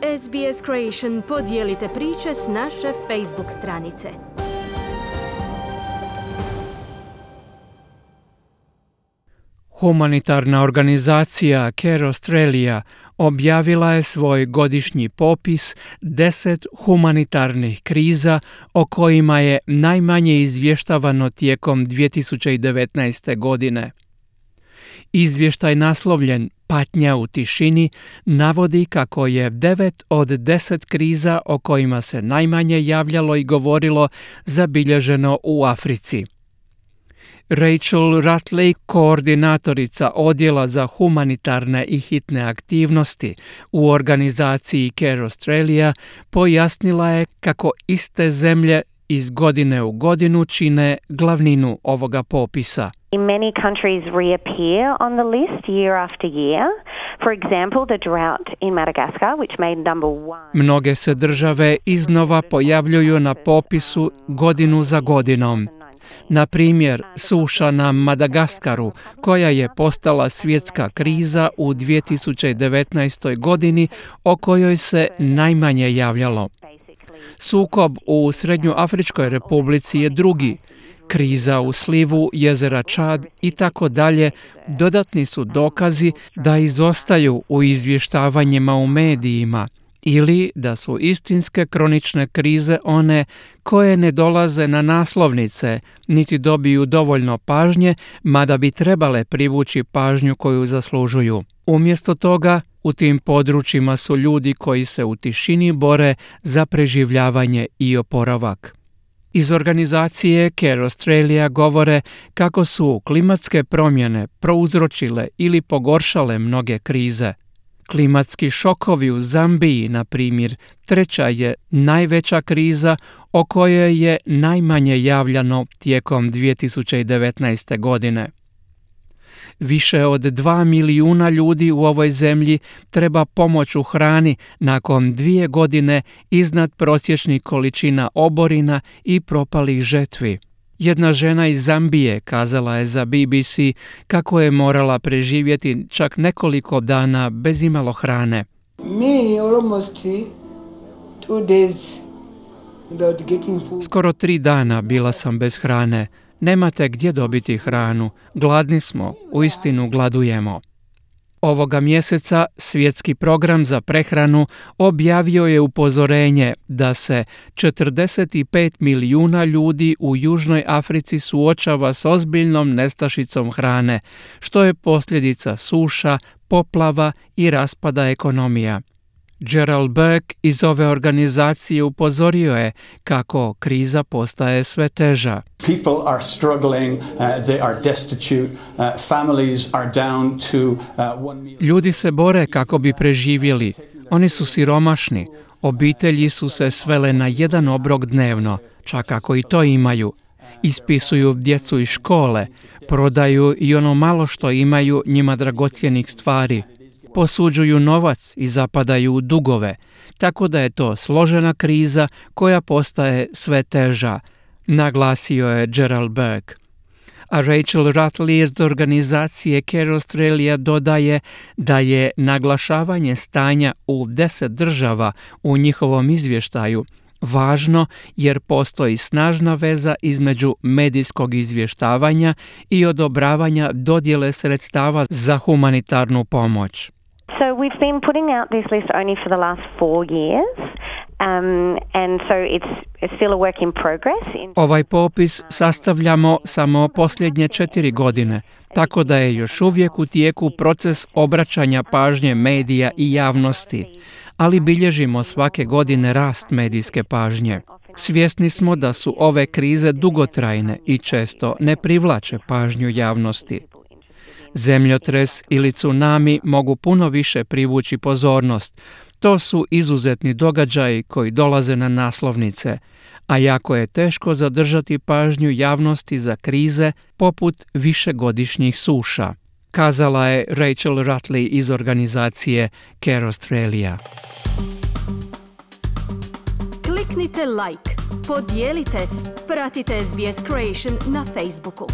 SBS Creation podijelite priče s naše Facebook stranice. Humanitarna organizacija Care Australia objavila je svoj godišnji popis 10 humanitarnih kriza o kojima je najmanje izvještavano tijekom 2019. godine. Izvještaj naslovljen Patnja u tišini navodi kako je 9 od 10 kriza o kojima se najmanje javljalo i govorilo zabilježeno u Africi. Rachel Rutley, koordinatorica odjela za humanitarne i hitne aktivnosti u organizaciji Care Australia, pojasnila je kako iste zemlje iz godine u godinu čine glavninu ovoga popisa. Many countries reappear on the list year after year. For example, the drought in Madagascar, which made number 1. Mnoge se države iznova pojavljuju na popisu godinu za godinom. Na primjer, suša na Madagaskaru, koja je postala svjetska kriza u 2019. godini, o kojoj se najmanje javljalo. Sukob u Srednjoafričkoj republici je drugi. Kriza u slivu jezera Čad i tako dalje dodatni su dokazi da izostaju u izvještavanjima u medijima ili da su istinske kronične krize one koje ne dolaze na naslovnice niti dobiju dovoljno pažnje, mada bi trebale privući pažnju koju zaslužuju. Umjesto toga, u tim područjima su ljudi koji se u tišini bore za preživljavanje i oporavak. Iz organizacije Care Australia govore kako su klimatske promjene prouzročile ili pogoršale mnoge krize. Klimatski šokovi u Zambiji, na primjer, treća je najveća kriza o kojoj je najmanje javljano tijekom 2019. godine. Više od 2 milijuna ljudi u ovoj zemlji treba pomoć u hrani nakon 2 godine iznad prosječnih količina oborina i propalih žetvi. Jedna žena iz Zambije kazala je za BBC kako je morala preživjeti čak nekoliko dana bez imalo hrane. Skoro 3 dana bila sam bez hrane. Nemate gdje dobiti hranu. Gladni smo, uistinu gladujemo. Ovoga mjeseca Svjetski program za prehranu objavio je upozorenje da se 45 milijuna ljudi u Južnoj Africi suočava s ozbiljnom nestašicom hrane, što je posljedica suša, poplava i raspada ekonomija. Gerald Burke iz ove organizacije upozorio je kako kriza postaje sve teža. People are struggling, they are destitute, families are down to 1 meal. Ljudi se bore kako bi preživjeli. Oni su siromašni. Obitelji su se svele na 1 obrok dnevno, čak ako i to imaju. Ispisuju djecu iz škole, prodaju i ono malo što imaju njima dragocjenih stvari. Posuđuju novac i zapadaju u dugove, tako da je to složena kriza koja postaje sve teža, naglasio je Gerald Burke. A Rachel Rutley iz organizacije Care Australia dodaje da je naglašavanje stanja u 10 država u njihovom izvještaju važno jer postoji snažna veza između medijskog izvještavanja i odobravanja dodjele sredstava za humanitarnu pomoć. So we've been putting out this list only for the last 4 years. And so it's still a work in progress. Ovaj popis sastavljamo samo posljednje 4 godine, tako da je još uvijek u tijeku proces obraćanja pažnje medija i javnosti, ali bilježimo svake godine rast medijske pažnje. Svjesni smo da su ove krize dugotrajne i često ne privlače pažnju javnosti. Zemljotres ili tsunami mogu puno više privući pozornost. To su izuzetni događaji koji dolaze na naslovnice, a jako je teško zadržati pažnju javnosti za krize poput višegodišnjih suša, kazala je Rachel Rutley iz organizacije Care Australia. Kliknite like, podijelite, pratite SBS Creation na Facebooku.